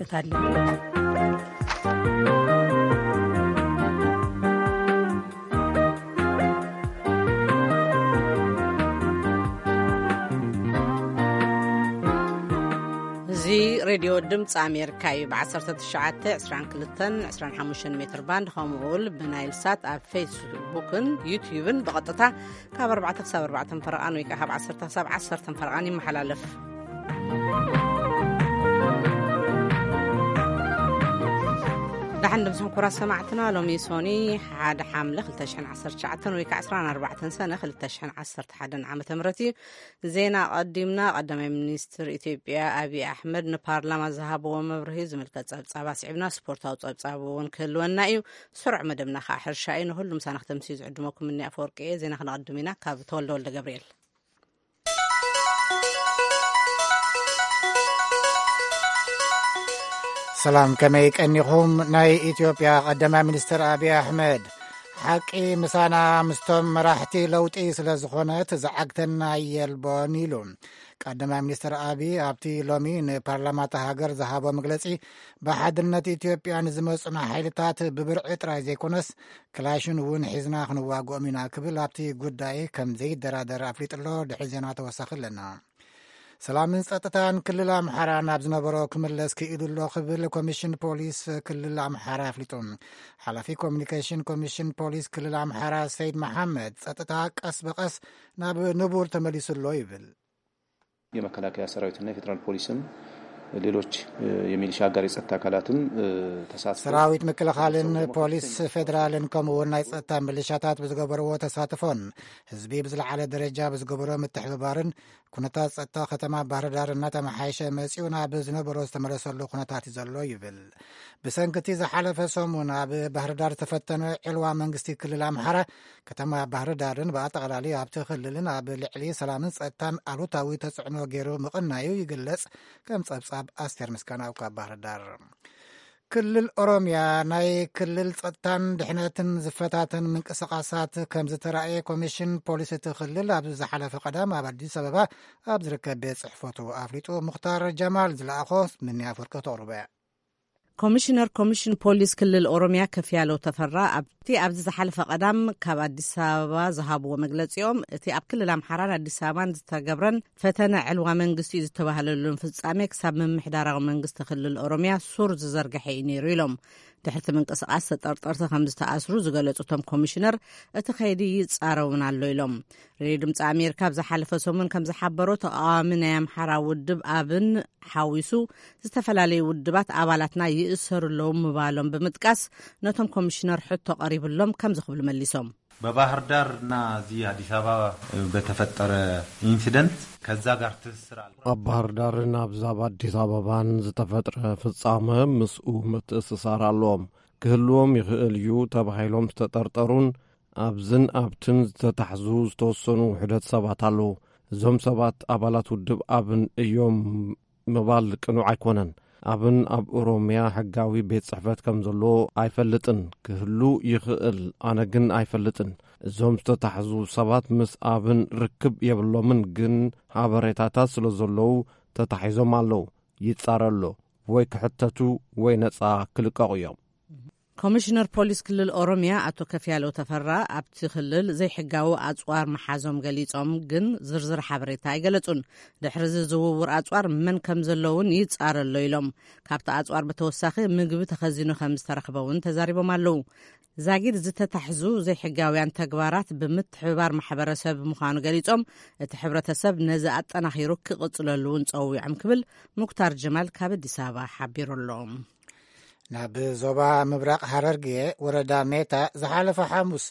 እታለ። እዚ ሬድዮ ድምፂ ኣሜሪካ እዩ። ብ1922 25 ሜትር ባንድ ከምኡ እውን ብናይል ሳት ኣብ ፌስቡክን ዩትዩብን ብቐጥታ ካብ ኣርባዕተ ክሳብ ኣርባዕተ ፈረቓን ወይ ከዓ ካብ ዓሰርተ ክሳብ ዓሰርተ ፈረቓን ይመሓላለፍ። ደሓን ድምፅኹም ክቡራት ሰማዕትና። ሎሚ ሶኒ ሓደ ሓምለ ክልተ ሽሕን ዓሰርተ ትሽዓተን ወይ ከዓ ዕስራን ኣርባዕተን ሰነ ክልተ ሽሕን ዓሰርተ ሓደን ዓመተ ምህረት እዩ። ዜና ቀዲምና። ቀዳማይ ሚኒስትር ኢትዮጵያ ኣብይ ኣሕመድ ንፓርላማ ዝሃብዎ መብርሂ ዝምልከት ጸብጻብ ኣስዒብና፣ ስፖርታዊ ጸብጻብ እውን ክህልወና እዩ። ስሩዕ መደብና ከዓ ሕርሻ እዩ። ንኹሉ ምሳና ክተምስዩ ዝዕድመኩም እኒ ኣፈወርቂ እየ። ዜና ክነቐድም ኢና ካብ ተወልደ ወልደ ገብርኤል። ሰላም፣ ከመይ ቀኒኹም? ናይ ኢትዮጵያ ቀዳማይ ሚኒስትር ኣብይ ኣሕመድ፣ ሓቂ ምሳና ምስቶም መራሕቲ ለውጢ ስለ ዝኾነት ዝዓግተና የልቦን ኢሉ። ቀዳማይ ሚኒስትር ኣብይ ኣብቲ ሎሚ ንፓርላማ እታ ሃገር ዝሃቦ መግለጺ፣ ብሓድነት ኢትዮጵያ ንዝመጹና ሓይልታት ብብርዒ ጥራይ ዘይኮነስ ክላሽን እውን ሒዝና ክንዋግኦም ኢና ክብል ኣብቲ ጉዳይ ከም ዘይደራደር ኣፍሊጡ ኣሎ። ድሕሪ ዜና ተወሳኺ ኣለና። ሰላምን ጸጥታን ክልል ኣምሓራ ናብ ዝነበሮ ክምለስ ክኢሉ ኣሎ ክብል ኮሚሽን ፖሊስ ክልል ኣምሓራ ኣፍሊጡ። ሓላፊ ኮሚኒኬሽን ኮሚሽን ፖሊስ ክልል ኣምሓራ ሰይድ መሓመድ፣ ጸጥታ ቀስ ብቐስ ናብ ንቡር ተመሊሱ ኣሎ ይብል። የመከላከያ ሰራዊትና የፌዴራል ፖሊስም ሌሎች የሚሊሻ አጋር የጸጥታ አካላትም ተሳትፎ ሰራዊት ምክልኻልን ፖሊስ ፌዴራልን ከምኡ እውን ናይ ጸጥታ ሚሊሻታት ብዝገበርዎ ተሳትፎን ህዝቢ ብዝለዓለ ደረጃ ብዝገበሮ ምትሕብባርን ኩነታት ጸጥታ ከተማ ባህር ዳር እናተመሓየሸ መጺኡ ናብ ዝነበሮ ዝተመለሰሉ ኩነታት እዩ ዘሎ ይብል። ብሰንክቲ ዝሓለፈ ሰሙን ኣብ ባህር ዳር ዝተፈተነ ዕልዋ መንግስቲ ክልል ኣምሓራ፣ ከተማ ባህር ዳርን ብኣጠቓላሊ ኣብቲ ክልልን ኣብ ልዕሊ ሰላምን ጸጥታን ኣሉታዊ ተጽዕኖ ገይሩ ምቕናዩ ይግለጽ። ከም ጸብጻብ ኣስቴር ምስጋናው ካብ ባህር ዳር። ክልል ኦሮምያ ናይ ክልል ጸጥታን ድሕነትን ዝፈታተን ምንቅስቓሳት ከም ዝተራእየ ኮሚሽን ፖሊስ እቲ ክልል ኣብ ዝሓለፈ ቀዳም ኣብ ኣዲስ ኣበባ ኣብ ዝርከብ ቤት ጽሕፈቱ ኣፍሊጡ። ሙኽታር ጀማል ዝለኣኾ ምንያ ፍርቂ ተቕርበ። ኮሚሽነር ኮሚሽን ፖሊስ ክልል ኦሮምያ ከፍያለው ተፈራ ኣብቲ ኣብዚ ዝሓለፈ ቀዳም ካብ ኣዲስ ኣበባ ዝሃብዎ መግለጺኦም፣ እቲ ኣብ ክልል ኣምሓራን ኣዲስ ኣበባን ዝተገብረን ፈተነ ዕልዋ መንግስቲ እዩ ዝተባህለሉን ፍጻሜ ክሳብ ምምሕዳራዊ መንግስቲ ክልል ኦሮምያ ሱር ዝዘርግሐ እዩ ነይሩ ኢሎም። ድሕርቲ ምንቅስቓስ ተጠርጠርቲ ከም ዝተኣስሩ ዝገለጹ እቶም ኮሚሽነር፣ እቲ ከይዲ ይጻረውን ኣሎ ኢሎም። ሬድዮ ድምፂ ኣሜሪካ ኣብ ዝሓለፈ ሰሙን ከም ዝሓበሮ፣ ተቃዋሚ ናይ ኣምሓራ ውድብ ኣብን ሓዊሱ ዝተፈላለዩ ውድባት ኣባላትና ይእሰሩ ኣለዉ ምባሎም ብምጥቃስ፣ ነቶም ኮሚሽነር ሕቶ ቀሪብሎም ከምዚ ክብሉ መሊሶም። በባህር ዳር እና እዚህ አዲስ አበባ በተፈጠረ ኢንሲደንት ከዛ ጋር ትስስር አለ። ኣብ ባህር ዳርን ኣብዛ ኣብ ኣዲስ ኣበባን ዝተፈጥረ ፍጻመ ምስኡ ምትእስሳር ኣለዎም። ክህልዎም ይኽእል እዩ ተባሂሎም ዝተጠርጠሩን ኣብዝን ኣብትን ዝተታሕዙ ዝተወሰኑ ውሕደት ሰባት ኣለዉ። እዞም ሰባት ኣባላት ውድብ ኣብን እዮም ምባል ቅኑዕ ኣይኮነን። ኣብን ኣብ ኦሮምያ ሕጋዊ ቤት ጽሕፈት ከም ዘሎ ኣይፈልጥን። ክህሉ ይኽእል፣ ኣነ ግን ኣይፈልጥን። እዞም ዝተታሕዙ ሰባት ምስ ኣብን ርክብ የብሎምን፣ ግን ሓበሬታታት ስለ ዘለዉ ተታሒዞም ኣለዉ። ይጻረ ኣሎ። ወይ ክሕተቱ ወይ ነጻ ክልቀቑ እዮም። ኮሚሽነር ፖሊስ ክልል ኦሮምያ ኣቶ ከፍያለው ተፈራ፣ ኣብቲ ክልል ዘይሕጋዊ ኣጽዋር ምሓዞም ገሊጾም፣ ግን ዝርዝር ሓበሬታ ኣይገለጹን። ድሕሪ እዚ ዝውውር ኣጽዋር መን ከም ዘለውን ይጻረ ኣሎ ኢሎም። ካብቲ ኣጽዋር ብተወሳኺ ምግቢ ተኸዚኑ ከም ዝተረኽበ እውን ተዛሪቦም ኣለዉ። ዛጊድ ዝተታሕዙ ዘይሕጋውያን ተግባራት ብምትሕብባር ማሕበረሰብ ምዃኑ ገሊጾም፣ እቲ ሕብረተሰብ ነዚ ኣጠናኺሩ ክቕጽለሉ እውን ጸዊዖም ክብል ሙክታር ጀማል ካብ ኣዲስ ኣበባ ሓቢሩ ኣሎ። ናብ ዞባ ምብራቕ ሃረርጌ ወረዳ ሜታ ዝሓለፈ ሓሙስ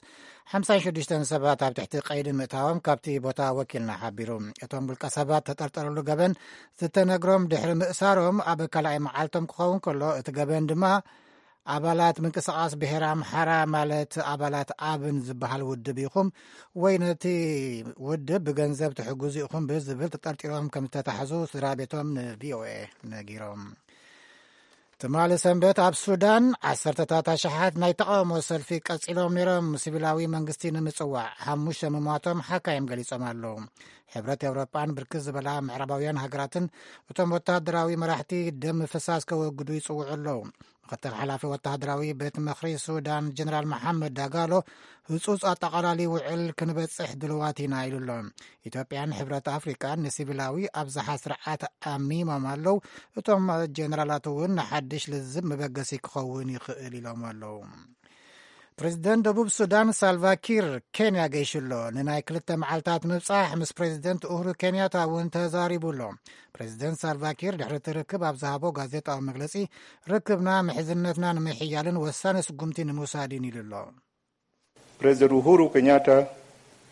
ሓምሳን ሽዱሽተን ሰባት ኣብ ትሕቲ ቀይዲ ምእታዎም ካብቲ ቦታ ወኪልና ሓቢሩ። እቶም ውልቀ ሰባት ተጠርጠርሉ ገበን ዝተነግሮም ድሕሪ ምእሳሮም ኣብ ካልኣይ መዓልቶም ክኸውን ከሎ፣ እቲ ገበን ድማ ኣባላት ምንቅስቓስ ብሄር ኣምሓራ ማለት ኣባላት ኣብን ዝበሃል ውድብ ኢኹም ወይ ነቲ ውድብ ብገንዘብ ትሕግዙ ኢኹም ብዝብል ተጠርጢሮም ከም ዝተታሕዙ ስድራ ቤቶም ንቪኦኤ ነጊሮም። ትማሊ ሰንበት ኣብ ሱዳን ዓሰርተታት ኣሽሓት ናይ ተቓውሞ ሰልፊ ቀጺሎም ነይሮም። ሲቪላዊ መንግስቲ ንምጽዋዕ ሓሙሽተ ምሟቶም ሓካይም ገሊጾም ኣለዉ። ሕብረት ኤውሮጳን ብርክት ዝበላ ምዕራባውያን ሃገራትን እቶም ወተሃደራዊ መራሕቲ ደም ምፍሳስ ከወግዱ ይጽውዑ ኣለዉ። ምክትል ሓላፊ ወተሃደራዊ ቤት ምኽሪ ሱዳን ጀነራል መሓመድ ዳጋሎ፣ ህጹጽ ኣጠቓላሊ ውዕል ክንበጽሕ ድልዋት ኢና ኢሉ ኣሎ። ኢትዮጵያን ሕብረት ኣፍሪቃን ንሲቪላዊ ኣብዝሓ ስርዓት ኣሚሞም ኣለዉ። እቶም ጀነራላት እውን ንሓድሽ ልዝብ መበገሲ ክኸውን ይኽእል ኢሎም ኣለዉ። ፕሬዚደንት ደቡብ ሱዳን ሳልቫኪር ኬንያ ገይሹ ኣሎ። ንናይ ክልተ መዓልታት ምብጻሕ ምስ ፕሬዚደንት ኡሁሩ ኬንያታ እውን ተዛሪቡ ኣሎ። ፕሬዚደንት ሳልቫኪር ድሕሪ እቲ ርክብ ኣብ ዝሃቦ ጋዜጣዊ መግለጺ፣ ርክብና ምሕዝነትና ንምሕያልን ወሳኒ ስጉምቲ ንምውሳድን ኢሉ ኣሎ። President Uhuru Kenyatta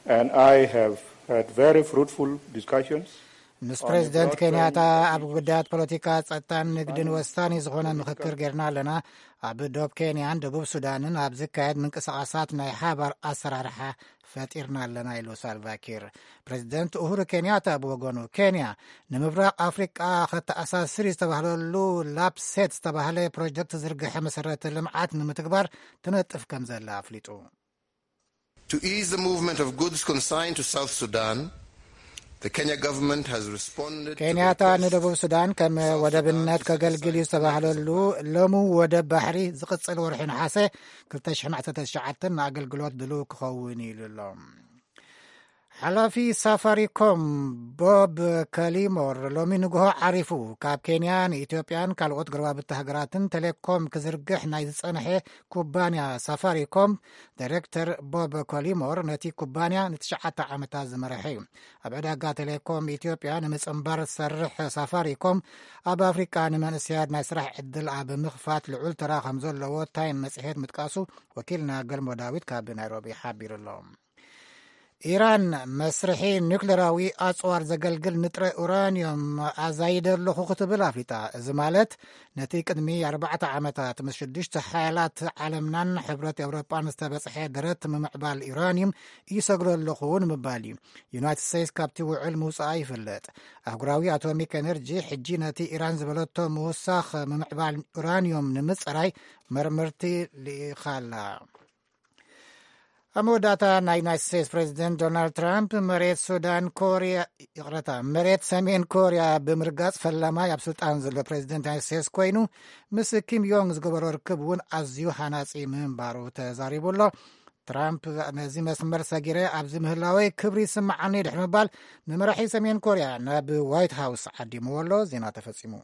and I have had very fruitful discussions. ምስ ፕሬዚደንት ኬንያታ ኣብ ጉዳያት ፖለቲካ፣ ጸጥታን ንግድን ወሳኒ ዝኾነ ምኽክር ጌርና ኣለና። ኣብ ዶብ ኬንያን ደቡብ ሱዳንን ኣብ ዝካየድ ምንቅስቓሳት ናይ ሓባር ኣሰራርሓ ፈጢርና ኣለና ኢሉ ሳልቫኪር። ፕሬዚደንት ኡሁሩ ኬንያታ ብወገኑ፣ ኬንያ ንምብራቕ ኣፍሪቃ ከተኣሳስር ዝተባህለሉ ላፕሴት ዝተባህለ ፕሮጀክት ዝርግሐ መሰረተ ልምዓት ንምትግባር ትነጥፍ ከም ዘላ ኣፍሊጡ። To ease the movement of goods consigned to South Sudan, the Kenya government has responded to the ኬንያታ request ንደቡብ ሱዳን ከም ወደብነት ከገልግል እዩ ዝተባህለሉ ሎሚ ወደብ ባሕሪ ዝቕጽል ወርሒ ነሓሰ ክልተ ሽሕን ዓሰርተ ትሽዓተን ንኣገልግሎት ድሉው ክኸውን ኢሉ ኣሎ። ሓላፊ ሳፋሪኮም ቦብ ከሊሞር ሎሚ ንግሆ ዓሪፉ። ካብ ኬንያ ንኢትዮጵያን ካልኦት ጎረባብቲ ሃገራትን ቴሌኮም ክዝርግሕ ናይ ዝጸንሐ ኩባንያ ሳፋሪኮም ዳይሬክተር ቦብ ኮሊሞር ነቲ ኩባንያ ንትሽዓተ ዓመታት ዝመርሐ እዩ። ኣብ ዕዳጋ ቴሌኮም ኢትዮጵያ ንምጽንባር ዝሰርሕ ሳፋሪኮም፣ ኣብ ኣፍሪቃ ንመንእሰያት ናይ ስራሕ ዕድል ኣብ ምኽፋት ልዑል ተራ ከም ዘለዎ ታይም መጽሔት ምጥቃሱ ወኪልና ገልሞ ዳዊት ካብ ናይሮቢ ሓቢሩ ኣሎ። ኢራን መስርሒ ኒውክሌራዊ ኣጽዋር ዘገልግል ንጥረ ኡራንዮም ኣዛይደ ኣለኹ ክትብል ኣፍሊጣ። እዚ ማለት ነቲ ቅድሚ ኣርባዕተ ዓመታት ምስ ሽዱሽተ ሓያላት ዓለምናን ሕብረት ኤውሮጳን ዝተበጽሐ ደረት ምምዕባል ዩራንዩም ይሰግዶ ኣለኹ ንምባል እዩ። ዩናይትድ ስቴትስ ካብቲ ውዕል ምውጽኣ ይፍለጥ። ኣህጉራዊ ኣቶሚክ ኤነርጂ ሕጂ ነቲ ኢራን ዝበለቶ ምውሳኽ ምምዕባል ዩራንዩም ንምጽራይ መርመርቲ ልኢኻላ። ኣብ መወዳእታ፣ ናይ ዩናይትድ ስቴትስ ፕሬዚደንት ዶናልድ ትራምፕ መሬት ሱዳን ኮርያ፣ ይቕረታ፣ መሬት ሰሜን ኮርያ ብምርጋጽ ፈላማይ ኣብ ስልጣን ዘሎ ፕሬዚደንት ዩናይትድ ስቴትስ ኮይኑ፣ ምስ ኪም ዮንግ ዝገበሮ ርክብ እውን ኣዝዩ ሃናጺ ምንባሩ ተዛሪቡ ኣሎ። ትራምፕ፣ ነዚ መስመር ሰጊረ ኣብዚ ምህላወይ ክብሪ ይስምዓኒ ድሕሪ ምባል፣ ንመራሒ ሰሜን ኮርያ ናብ ዋይት ሃውስ ዓዲምዎ ኣሎ። ዜና ተፈጺሙ።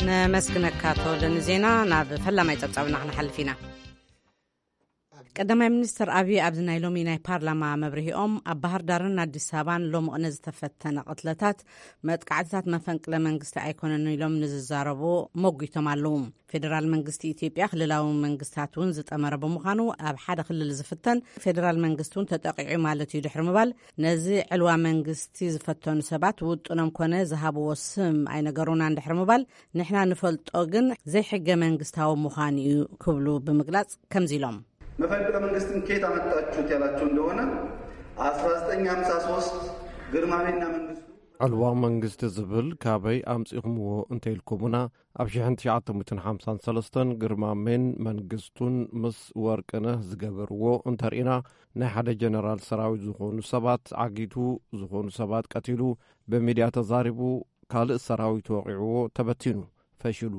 ነመስግነካ ተወልደ ንዜና። ናብ ፈላማይ ጸብጻብና ክንሓልፍ ኢና። ቀዳማይ ሚኒስትር ኣብዪ ኣብዚ ናይ ሎሚ ናይ ፓርላማ መብርሂኦም፣ ኣብ ባህር ዳርን ኣዲስ ኣበባን ሎሚ ቅነ ዝተፈተነ ቅትለታት መጥቃዕትታት መፈንቅለ መንግስቲ ኣይኮነን ኢሎም ንዝዛረቡ መጒቶም ኣለዉ። ፌደራል መንግስቲ ኢትዮጵያ ክልላዊ መንግስታት እውን ዝጠመረ ብምዃኑ፣ ኣብ ሓደ ክልል ዝፍተን ፌደራል መንግስቲ እውን ተጠቂዑ ማለት እዩ ድሕሪ ምባል፣ ነዚ ዕልዋ መንግስቲ ዝፈተኑ ሰባት ውጥኖም ኮነ ዝሃብዎ ስም ኣይነገሩናን ድሕሪ ምባል፣ ንሕና ንፈልጦ ግን ዘይሕገ መንግስታዊ ምዃኑ እዩ ክብሉ ብምግላጽ ከምዚ ኢሎም። መፈንቅለ መንግስትን ከየት ኣመጣችሁት ያላችሁ እንደሆነ፣ አስራ ዘጠኝ ሃምሳ ሶስት ግርማሜና መንግስቱ ዕልዋ መንግስቲ ዝብል ካበይ ኣምጺእኹምዎ እንተኢልኩምና፣ ኣብ ሽሕን ትሽዓተ ሚእትን ሓምሳን ሰለስተን ግርማሜን መንግስቱን ምስ ወርቅነህ ዝገበርዎ እንተርኢና፣ ናይ ሓደ ጀነራል ሰራዊት ዝኾኑ ሰባት ዓጊቱ፣ ዝኾኑ ሰባት ቀቲሉ፣ ብሚድያ ተዛሪቡ፣ ካልእ ሰራዊት ወቒዕዎ፣ ተበቲኑ፣ ፈሽሉ።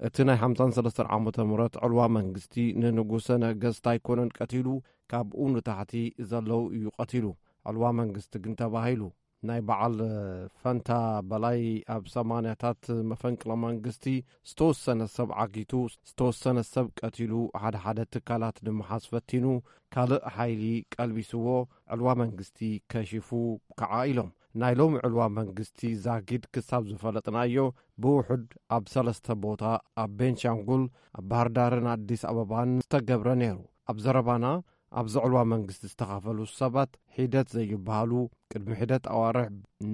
እቲ ናይ ሓምሳን ሰለስተን ዓመተ ምህረት ዕልዋ መንግስቲ ንንጉሰ ነገስት ኣይኮነን ቀቲሉ፣ ካብኡ ንታሕቲ ዘለዉ እዩ ቀቲሉ። ዕልዋ መንግስቲ ግን ተባሂሉ። ናይ በዓል ፈንታ በላይ ኣብ ሰማንያታት መፈንቅለ መንግስቲ ዝተወሰነ ሰብ ዓጊቱ፣ ዝተወሰነ ሰብ ቀቲሉ፣ ሓደ ሓደ ትካላት ንምሓዝ ፈቲኑ፣ ካልእ ሓይሊ ቀልቢስዎ፣ ዕልዋ መንግስቲ ከሺፉ ከዓ ኢሎም። ናይ ሎሚ ዕልዋ መንግስቲ ዛጊድ ክሳብ ዝፈለጥናዮ ብውሑድ ኣብ ሰለስተ ቦታ፣ ኣብ ቤንሻንጉል፣ ኣብ ባህር ዳርን ኣዲስ ኣበባን ዝተገብረ ነይሩ። ኣብ ዘረባና፣ ኣብዚ ዕልዋ መንግስቲ ዝተኻፈሉ ሰባት ሒደት ዘይበሃሉ፣ ቅድሚ ሒደት ኣዋርሕ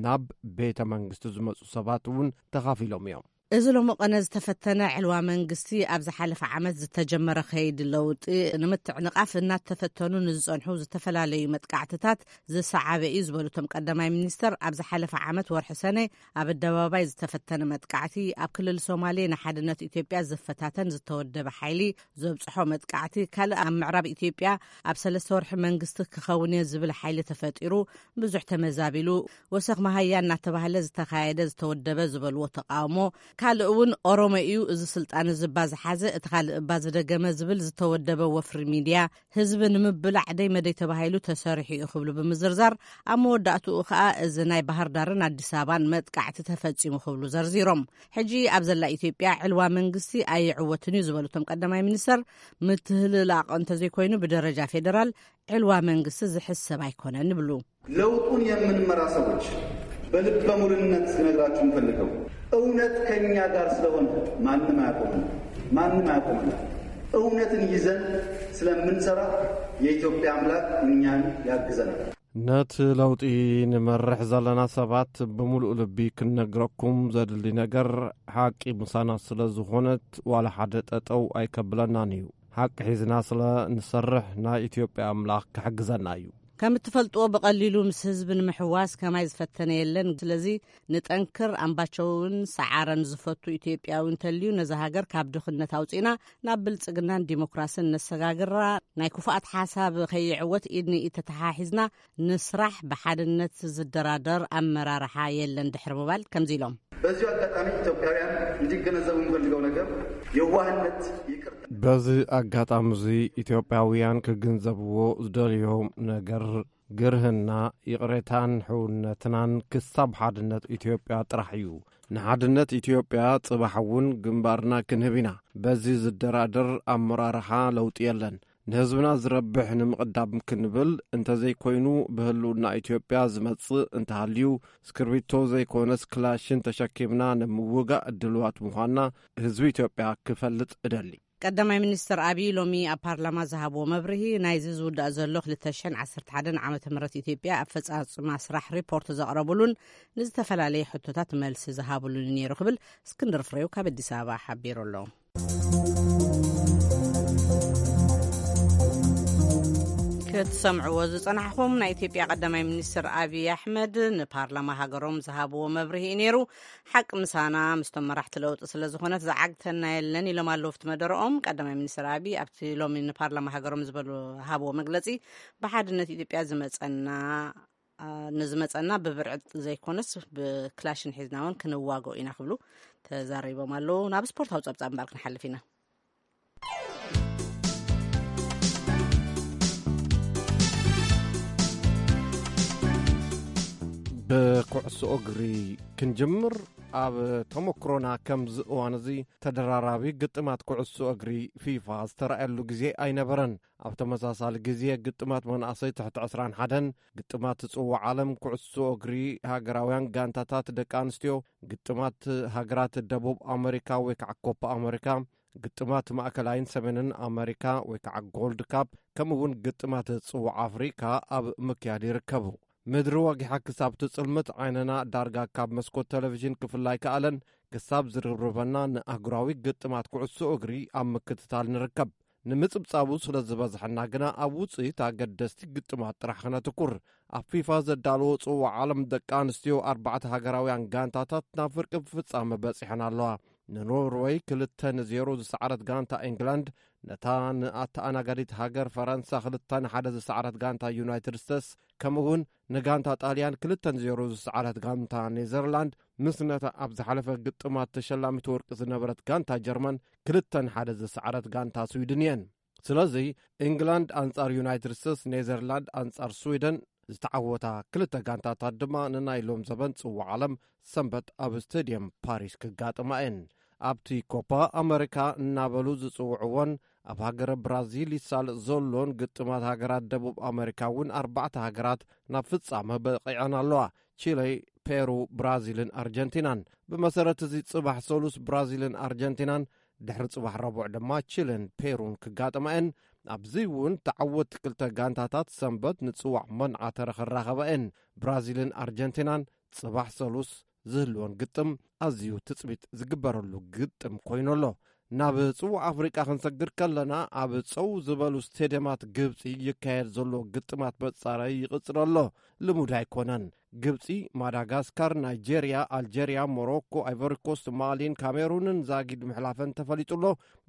ናብ ቤተ መንግስቲ ዝመጹ ሰባት እውን ተኻፊሎም እዮም። እዚ ሎሚ ቀነ ዝተፈተነ ዕልዋ መንግስቲ፣ ኣብ ዝሓለፈ ዓመት ዝተጀመረ ከይዲ ለውጢ ንምትዕንቓፍ እናተፈተኑ ንዝጸንሑ ዝተፈላለዩ መጥቃዕትታት ዝሰዓበ እዩ ዝበሉ እቶም ቀዳማይ ሚኒስተር፣ ኣብ ዝሓለፈ ዓመት ወርሒ ሰነ ኣብ ኣደባባይ ዝተፈተነ መጥቃዕቲ፣ ኣብ ክልል ሶማሌ ንሓድነት ኢትዮጵያ ዝፈታተን ዝተወደበ ሓይሊ ዘብጽሖ መጥቃዕቲ፣ ካልእ ኣብ ምዕራብ ኢትዮጵያ ኣብ ሰለስተ ወርሒ መንግስቲ ክኸውን እየ ዝብል ሓይሊ ተፈጢሩ፣ ብዙሕ ተመዛቢሉ፣ ወሰኽ መሃያ እናተባህለ ዝተኻየደ ዝተወደበ ዝበልዎ ተቃውሞ፣ ካልእ እውን ኦሮሞ እዩ እዚ ስልጣን እዚ እባ ዝሓዘ፣ እቲ ካልእ እባ ዝደገመ ዝብል ዝተወደበ ወፍሪ ሚድያ፣ ህዝቢ ንምብላዕ ደይ መደይ ተባሂሉ ተሰሪሑ እዩ ክብሉ ብምዝርዛር፣ ኣብ መወዳእትኡ ከኣ እዚ ናይ ባህር ዳርን ኣዲስ ኣበባን መጥቃዕቲ ተፈጺሙ ክብሉ ዘርዚሮም። ሕጂ ኣብ ዘላ ኢትዮጵያ ዕልዋ መንግስቲ ኣይዕወትን እዩ ዝበሉ እቶም ቀዳማይ ሚኒስተር፣ ምትህልላቕ እንተዘይኮይኑ ብደረጃ ፌዴራል ዕልዋ መንግስቲ ዝሕሰብ ኣይኮነን ይብሉ። ለውጡን የምንመራ ሰዎች በልበ ሙሉነት ልነግራችሁ የምፈልገው፣ እውነት ከኛ ጋር ስለሆነ ማንም አያቆመን፣ ማንም አያቆመን። እውነትን ይዘን ስለምንሰራ የኢትዮጵያ አምላክ እኛን ያግዘናል። ነቲ ለውጢ ንመርሕ ዘለና ሰባት ብምሉእ ልቢ ክንነግረኩም ዘድሊ ነገር፣ ሓቂ ምሳና ስለ ዝኾነት ዋላ ሓደ ጠጠው ኣይከብለናን እዩ። ሓቂ ሒዝና ስለ ንሰርሕ ናይ ኢትዮጵያ ኣምላኽ ክሕግዘና እዩ። ከም እትፈልጥዎ ብቐሊሉ ምስ ህዝቢ ንምሕዋስ ከማይ ዝፈተነ የለን። ስለዚ ንጠንክር። ኣምባቸውን ሰዓረን ዝፈቱ ኢትዮጵያዊ እንተልዩ፣ ነዛ ሃገር ካብ ድኽነት ኣውፂእና ናብ ብልጽግናን ዲሞክራስን ነሰጋግራ። ናይ ክፉኣት ሓሳብ ከይዕወት ኢድ ንኢድ ተተሓሒዝና ንስራሕ። ብሓድነት ዝደራደር ኣመራርሓ የለን ድሕሪ ምባል ከምዚ ኢሎም። በዚሁ አጋጣሚ ኢትዮጵያውያን እንዲገነዘቡ የምፈልገው ነገር የዋህነት፣ ይቅርታ። በዚ ኣጋጣሚ እዚ ኢትዮጵያውያን ክግንዘብዎ ዝደልዮም ነገር፣ ግርህና፣ ይቕሬታን ሕውነትናን ክሳብ ሓድነት ኢትዮጵያ ጥራሕ እዩ። ንሓድነት ኢትዮጵያ ጽባሕ እውን ግንባርና ክንህብ ኢና። በዚ ዝደራደር ኣመራርሓ ለውጢ የለን። ንህዝብና ዝረብሕ ንምቕዳም ክንብል እንተዘይኮይኑ፣ ብህልውና ኢትዮጵያ ዝመጽእ እንተሃልዩ፣ እስክርቢቶ ዘይኮነስ ክላሽን ተሸኪምና ንምውጋእ ድልዋት ምዃንና ህዝቢ ኢትዮጵያ ክፈልጥ እደሊ። ቀዳማይ ሚኒስትር ኣብይ ሎሚ ኣብ ፓርላማ ዝሃብዎ መብርሂ፣ ናይዚ ዝውዳእ ዘሎ ክልተ ሽሕን ዓሰርተ ሓደን ዓመተ ምህረት ኢትዮጵያ ኣፈጻጽማ ስራሕ ሪፖርት ዘቕረቡሉን ንዝተፈላለየ ሕቶታት መልሲ ዝሃብሉን ነይሩ ክብል እስክንድር ፍሬው ካብ ኣዲስ ኣበባ ሓቢሩ ኣሎ። ክትሰምዕዎ ዝጸናሕኹም፣ ናይ ኢትዮጵያ ቀዳማይ ሚኒስትር ኣብይ ኣሕመድ ንፓርላማ ሃገሮም ዝሃብዎ መብርሂ እዩ ነይሩ። ሓቂ ምሳና ምስቶም መራሕቲ ለውጢ ስለ ዝኾነት ዝዓግተና የለን ኢሎም ኣለዉ ኣብቲ መደረኦም። ቀዳማይ ሚኒስትር ኣብይ ኣብቲ ሎሚ ንፓርላማ ሃገሮም ዝበሉ ሃብዎ መግለጺ፣ ብሓድነት ኢትዮጵያ ዝመጸና፣ ኣ፣ ንዝመጸና ብብርዕጥ ዘይኮነስ ብክላሽን ሒዝና እውን ክንዋግኦ ኢና ክብሉ ተዛሪቦም ኣለዉ። ናብ ስፖርታዊ ጸብጻብ እምበር ክንሓልፍ ኢና። ብኩዕሶ እግሪ ክንጅምር። ኣብ ተመክሮና ከምዚ እዋን እዚ ተደራራቢ ግጥማት ኩዕሶ እግሪ ፊፋ ዝተራእየሉ ግዜ ኣይነበረን። ኣብ ተመሳሳሊ ግዜ ግጥማት መናእሰይ ትሕቲ ዕስራን ሓደን፣ ግጥማት ጽዋዕ ዓለም ኩዕሶ እግሪ ሃገራውያን ጋንታታት ደቂ ኣንስትዮ፣ ግጥማት ሃገራት ደቡብ ኣመሪካ ወይ ከዓ ኮፓ ኣመሪካ፣ ግጥማት ማእከላይን ሰሜንን ኣመሪካ ወይ ከዓ ጎልድ ካፕ፣ ከምኡ እውን ግጥማት ጽዋዕ ኣፍሪካ ኣብ ምክያድ ይርከቡ። ምድሪ ወጊሓ ክሳብ ትጽልምት ዓይንና ዳርጋ ካብ መስኮት ቴሌቪዥን ክፍላይ ከኣለን። ክሳብ ዝርብርበና ንኣህጉራዊ ግጥማት ኩዕሶ እግሪ ኣብ ምክትታል ንርከብ። ንምጽብጻቡ ስለ ዝበዝሐና ግና ኣብ ውጽኢት ኣገደስቲ ግጥማት ጥራሕ ክነትኩር። ኣብ ፊፋ ዘዳለዎ ጽዋዕ ዓለም ደቂ ኣንስትዮ ኣርባዕተ ሃገራውያን ጋንታታት ናብ ፍርቂ ፍጻመ በጺሐን ኣለዋ። ንኖርወይ ክልተ ንዜሮ ዝሰዓረት ጋንታ ኢንግላንድ፣ ነታ ንኣተኣናጋዲት ሃገር ፈረንሳ ክልተ ንሓደ ዝሰዓረት ጋንታ ዩናይትድ ስቴትስ፣ ከምኡ እውን ንጋንታ ጣልያን ክልተ ንዜሮ ዝሰዓረት ጋንታ ኔዘርላንድ፣ ምስ ነታ ኣብ ዝሓለፈ ግጥማት ተሸላሚት ወርቂ ዝነበረት ጋንታ ጀርመን ክልተ ንሓደ ዝሰዓረት ጋንታ ስዊድን እየን። ስለዚ፣ ኢንግላንድ ኣንጻር ዩናይትድ ስቴትስ፣ ኔዘርላንድ ኣንጻር ስዊደን ዝተዓወታ ክልተ ጋንታታት ድማ ንናይ ሎም ዘበን ጽዋዕ ዓለም ሰንበት ኣብ ስቴድየም ፓሪስ ክጋጥማ እየን። ኣብቲ ኮፓ ኣመሪካ እናበሉ ዝጽውዕዎን ኣብ ሃገረ ብራዚል ይሳለጥ ዘሎን ግጥማት ሃገራት ደቡብ ኣመሪካ እውን ኣርባዕተ ሃገራት ናብ ፍጻመ በቒዐን ኣለዋ። ቺለ፣ ፔሩ፣ ብራዚልን ኣርጀንቲናን። ብመሰረት እዚ፣ ጽባሕ ሰሉስ ብራዚልን ኣርጀንቲናን፣ ድሕሪ ጽባሕ ረቡዕ ድማ ቺለን ፔሩን ክጋጥማ እየን። ኣብዚ እውን ተዓወትቲ ክልተ ጋንታታት ሰንበት ንጽዋዕ መንዓተረ ክራኸባ እየን። ብራዚልን ኣርጀንቲናን ጽባሕ ሰሉስ ዝህልወን ግጥም ኣዝዩ ትጽቢት ዝግበረሉ ግጥም ኮይኑ ኣሎ። ናብ ጽዋዕ ኣፍሪቃ ክንሰግር ከለና፣ ኣብ ጸው ዝበሉ ስቴድየማት ግብጺ ይካየድ ዘሎ ግጥማት መጻረይ ይቕጽል ኣሎ። ልሙድ ኣይኮነን። ግብጺ፣ ማዳጋስካር፣ ናይጄርያ፣ ኣልጄርያ፣ ሞሮኮ፣ ኣይቮሪኮስት፣ ማሊን ካሜሩንን ዛጊድ ምሕላፈን ተፈሊጡ ኣሎ።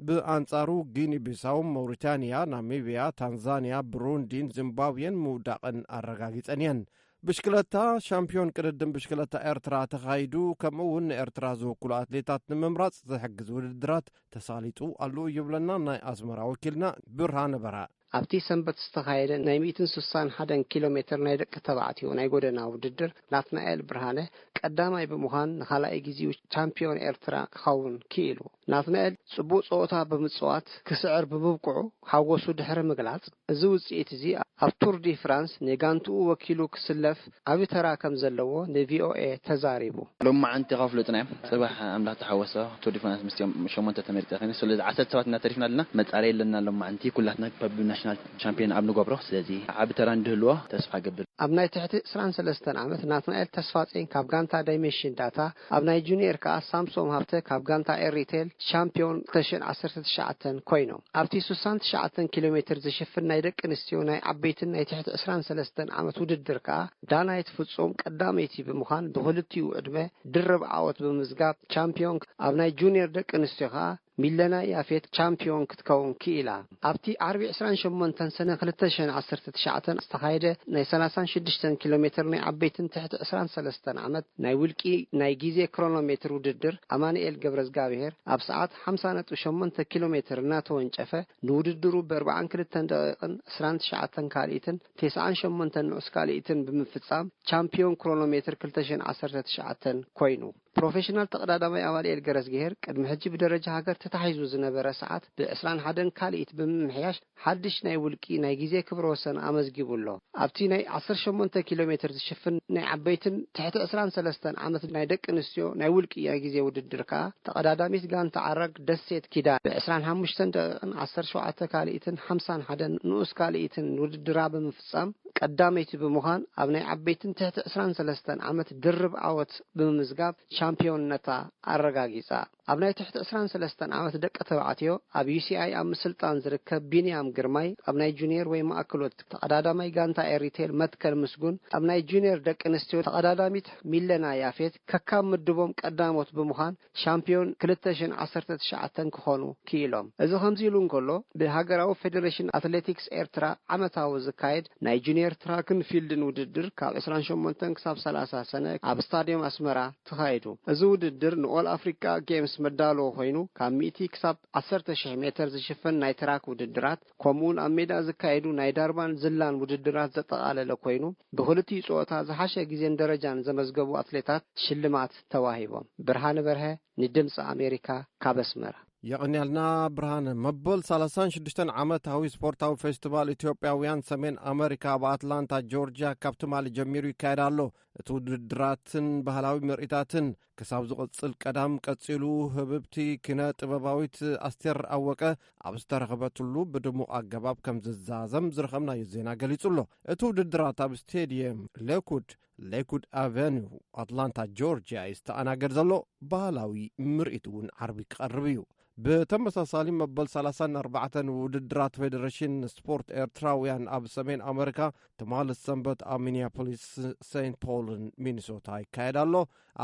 ብኣንጻሩ፣ ጊኒ ቢሳው፣ መውሪታንያ፣ ናሚብያ፣ ታንዛንያ፣ ብሩንዲን ዚምባብዌን ምውዳቕን ኣረጋጊጸን እየን። ብሽክለታ፣ ሻምፒዮን ቅድድም ብሽክለታ ኤርትራ ተኻይዱ፣ ከምኡ እውን ንኤርትራ ዝውክሉ ኣትሌታት ንምምራጽ ዝሕግዝ ውድድራት ተሳሊጡ ኣሎ ይብለና ናይ ኣስመራ ወኪልና ብርሃነ በራ። ኣብቲ ሰንበት ዝተኻየደ ናይ ሚእትን ስሳን ሓደን ኪሎ ሜትር ናይ ደቂ ተባዕትዮ ናይ ጎደና ውድድር፣ ናትናኤል ብርሃነ ቀዳማይ ብምዃን ንኻልኣይ ግዜኡ ቻምፒዮን ኤርትራ ክኸውን ክኢሉ። ናትናኤል ጽቡቕ ጸወታ ብምጽዋት ክስዕር ብምብቅዑ ሓጎሱ ድሕሪ ምግላጽ፣ እዚ ውጽኢት እዚ ኣብ ቱር ዲ ፍራንስ ንጋንትኡ ወኪሉ ክስለፍ ዓቢ ተራ ከም ዘለዎ ንቪኦኤ ተዛሪቡ። ሎማዓንቲ ካብ ፍሉጥና እዮም። ጽባሕ ኣምላኽ ተሓወሶ ቱር ዲ ፍራንስ ምስኦም ሸሞንተ ተመሪጸ ኸይነ። ስለዚ ዓሰርተ ሰባት እናተሪፍና ኣለና። መጻረይ ኣለና። ሎማዓንቲ ኩላትና በብናሽናል ቻምፒዮን ኣብ ንገብሮ። ስለዚ ዓቢ ተራ እንድህልዎ ተስፋ ገብር። ኣብ ናይ ትሕቲ ዕስራን ሰለስተን ዓመት ናትናኤል ተስፋጼን ካብ ጋንታ ዳይሜንሽን ዳታ፣ ኣብ ናይ ጁኒየር ከኣ ሳምሶም ሃብተ ካብ ጋንታ ኤሪቴል ሻምፒዮን ክልተ ሽሕን ዓሰርተ ትሽዓተን ኮይኖም። ኣብቲ ስሳን ትሽዓተን ኪሎ ሜትር ዝሽፍን ናይ ደቂ ኣንስትዮ ናይ ዓበይትን ናይ ትሕቲ ዕስራን ሰለስተን ዓመት ውድድር ከኣ ዳናይት ፍጹም ቀዳመይቲ ብምዃን ብኽልቲኡ ዕድመ ድርብ ዓወት ብምዝጋብ ቻምፒዮን፣ ኣብ ናይ ጁኒየር ደቂ ኣንስትዮ ከኣ ሚለና ያፌት ቻምፒዮን ክትከውን ክኢላ። ኣብቲ ዓርቢ ዕስራን ሸሞንተን ሰነ ክልተ ሽሕን ዓሰርተ ትሽዓተን ዝተኻየደ ናይ ሰላሳን ሽዱሽተን ኪሎ ሜትር ናይ ዓበይትን ትሕቲ ዕስራን ሰለስተን ዓመት ናይ ውልቂ ናይ ግዜ ክሮኖሜትር ውድድር፣ ኣማኑኤል ገብረዝጋብሄር ኣብ ሰዓት ሓምሳ ነጥቢ ሸሞንተ ኪሎ ሜትር እናተወንጨፈ፣ ንውድድሩ ብኣርባዓን ክልተን ደቂቕን ዕስራን ትሽዓተን ካልኢትን ተስዓን ሸሞንተን ንዑስ ካልኢትን ብምፍጻም ቻምፒዮን ክሮኖሜትር ክልተ ሽሕን ዓሰርተ ትሽዓተን ኮይኑ። ፕሮፌሽናል ተቐዳዳማይ ኣማኑኤል ገረዝግሄር ቅድሚ ሕጂ ብደረጃ ሃገር ተታሒዙ ዝነበረ ሰዓት ብዕስራን ሓደን ካልኢት ብምምሕያሽ ሓድሽ ናይ ውልቂ ናይ ግዜ ክብረ ወሰን ኣመዝጊቡ ኣሎ። ኣብቲ ናይ ዓሰርተ ሸሞንተ ኪሎ ሜትር ዝሽፍን ናይ ዓበይትን ትሕቲ ዕስራን ሰለስተን ዓመት ናይ ደቂ ኣንስትዮ ናይ ውልቂ ናይ ግዜ ውድድር ከኣ ተቐዳዳሚት ጋንታ ዓራግ ደሴት ኪዳን ብዕስራን ሓሙሽተን ደቂቕን ዓሰርተ ሸውዓተ ካልኢትን ሓምሳን ሓደን ንኡስ ካልኢትን ውድድራ ብምፍጻም ቀዳመይቲ ብምዃን ኣብ ናይ ዓበይትን ትሕቲ ዕስራን ሰለስተን ዓመት ድርብ ዓወት ብምምዝጋብ ሻምፒዮንነታ ኣረጋጊጻ። ኣብ ናይ ትሕቲ ዕስራን ሰለስተን ዓመት ደቂ ተባዕትዮ ኣብ ዩ ሲ ኣይ ኣብ ምስልጣን ዝርከብ ቢንያም ግርማይ ኣብ ናይ ጁኒየር ወይ ማእከሎት ተቐዳዳማይ ጋንታ ኤሪቴል መትከል ምስጉን ኣብ ናይ ጁኒየር ደቂ ኣንስትዮ ተቐዳዳሚት ሚለና ያፌት ከካብ ምድቦም ቀዳሞት ብምዃን ሻምፒዮን ክልተ ሽሕን ዓሰርተ ትሽዓተን ክኾኑ ክኢሎም። እዚ ከምዚ ኢሉ እንከሎ፣ ብሃገራዊ ፌደሬሽን ኣትሌቲክስ ኤርትራ ዓመታዊ ዝካየድ ናይ ጁኒየር ትራክን ፊልድን ውድድር ካብ ዕስራን ሸሞንተን ክሳብ ሰላሳ ሰነ ኣብ ስታድዮም ኣስመራ ተኻይዱ። እዚ ውድድር ንኦል ኣፍሪቃ ጌምስ መዳለዎ ኮይኑ፣ ካብ ሚእቲ ክሳብ ዓሰርተ ሽሕ ሜትር ዝሽፍን ናይ ትራክ ውድድራት፣ ከምኡውን ኣብ ሜዳ ዝካየዱ ናይ ዳርባን ዝላን ውድድራት ዘጠቓለለ ኮይኑ፣ ብኽልቲኡ ጸወታ ዝሓሸ ግዜን ደረጃን ዘመዝገቡ ኣትሌታት ሽልማት ተዋሂቦም። ብርሃነ በርሀ፣ ንድምፂ ኣሜሪካ፣ ካብ ኣስመራ። የቐንያልና ብርሃነ። መበል ሰላሳን ሽዱሽተን ዓመታዊ ስፖርታዊ ፌስቲቫል ኢትዮጵያውያን ሰሜን ኣመሪካ ኣብ ኣትላንታ ጆርጅያ ካብ ትማሊ ጀሚሩ ይካየድ ኣሎ። እቲ ውድድራትን ባህላዊ ምርኢታትን ክሳብ ዝቕጽል ቀዳም ቀጺሉ፣ ህብብቲ ኪነ ጥበባዊት ኣስቴር ኣወቀ ኣብ ዝተረኸበትሉ ብድሙቕ ኣገባብ ከም ዝዛዘም ዝረኸብናዮ ዜና ገሊጹ ኣሎ። እቲ ውድድራት ኣብ ስቴድየም ሌኩድ፣ ሌኩድ ኣቨኒው፣ ኣትላንታ ጆርጅያ እዩ ዝተኣናገድ ዘሎ። ባህላዊ ምርኢት እውን ዓርቢ ክቐርብ እዩ። ብተመሳሳሊ መበል ሰላሳን ኣርባዕተን ውድድራት ፌደሬሽን ስፖርት ኤርትራውያን ኣብ ሰሜን ኣመሪካ ትማሊ ሰንበት ኣብ ሚኒያፖሊስ ሴንት ፖልን ሚኒሶታ ይካየድ ኣሎ።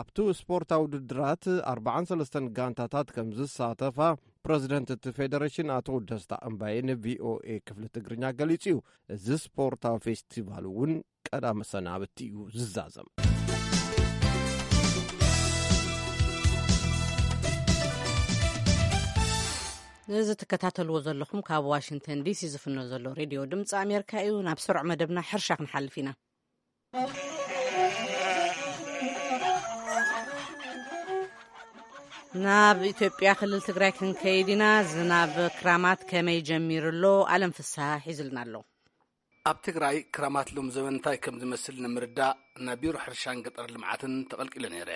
ኣብቲ ስፖርታዊ ውድድራት ኣርባዓን ሰለስተን ጋንታታት ከም ዝሳተፋ ፕረዚደንት እቲ ፌደሬሽን ኣቶ ደስታ እምባየ ንቪኦኤ ክፍሊ ትግርኛ ገሊጹ እዩ። እዚ ስፖርታዊ ፌስቲቫል እውን ቀዳመ ሰናብቲ እዩ ዝዛዘም። ነዚ ትከታተልዎ ዘለኹም ካብ ዋሽንግተን ዲሲ ዝፍኖ ዘሎ ሬድዮ ድምፂ ኣሜሪካ እዩ። ናብ ስሩዕ መደብና ሕርሻ ክንሓልፍ ኢና። ናብ ኢትዮጵያ ክልል ትግራይ ክንከይድ ኢና። ዝናብ ክራማት ከመይ ጀሚሩ ኣሎ? ኣለም ፍስሃ ሒዙልና ኣሎ። ኣብ ትግራይ ክራማት ሎም ዘበን እንታይ ከም ዝመስል ንምርዳእ ናብ ቢሮ ሕርሻን ገጠር ልምዓትን ተቐልቂለ ነይረ።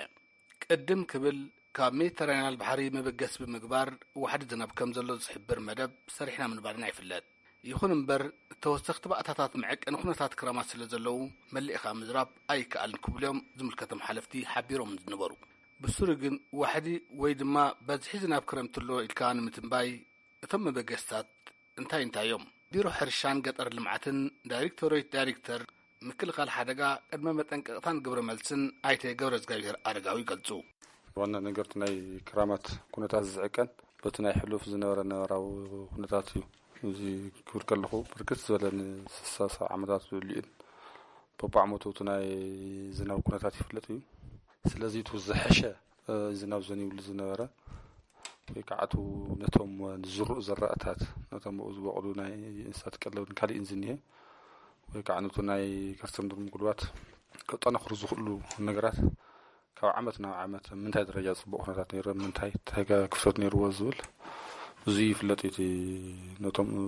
ቅድም ክብል ካብ ሜዲተራንያን ባሕሪ መበገሲ ብምግባር ዋሕዲ ዝናብ ከም ዘሎ ዝሕብር መደብ ሰሪሕና ምንባርና ይፍለጥ። ይኹን እምበር፣ ተወሰኽቲ ባእታታት መዐቀኒ ኩነታት ክራማት ስለ ዘለዉ፣ መሊእኻ ምዝራብ ኣይከኣልን ክብሉ እዮም ዝምልከቶም ሓለፍቲ ሓቢሮም ዝነበሩ። ብሱሩ ግን፣ ዋሕዲ ወይ ድማ በዝሒ ዝናብ ክረምቲ ኣሎ ኢልካ ንምትንባይ፣ እቶም መበገስታት እንታይ እንታይ እዮም? ቢሮ ሕርሻን ገጠር ልምዓትን ዳይሬክቶሬት ዳይሬክተር ምክልኻል ሓደጋ ቅድመ መጠንቀቕታን ግብረ መልስን ኣይተ ገብረ እግዚኣብሔር ኣረጋዊ ይገልጹ። ዋና ነገር እቲ ናይ ክራማት ኩነታት ዝዕቀን በቲ ናይ ሕሉፍ ዝነበረ ነባራዊ ኩነታት እዩ። እዚ ክብል ከለኹ፣ ብርክት ዝበለ ንስሳ ዓመታት ዝብልዩን በብዓመቱ እቲ ናይ ዝናብ ኩነታት ይፍለጥ እዩ። ስለዚ እቲ ዝሐሸ፣ እ፣ ዝናብ ዘንብሉ ዝነበረ፣ ወይ ከዓ እቲ ነቶም ዝዝርኡ ዘራእታት፣ ነቶም ኣብኡ ዝበቕሉ ናይ እንስሳት ቀለብን ካልእን ዝኒሀ፣ ወይ ከዓ ነቲ ናይ ከርሰ ምድሪ ምጉልባት ከጠናኽሩ ዝኽእሉ ነገራት ካብ ዓመት ናብ ዓመት ምንታይ ደረጃ ጽቡቕ ኩነታት ነይሩ፣ ምንታይ እንታይ ክፍተት ነይርዎ ዝብል እዚ ይፍለጥ እዩ። እቲ ነቶም፣ እ፣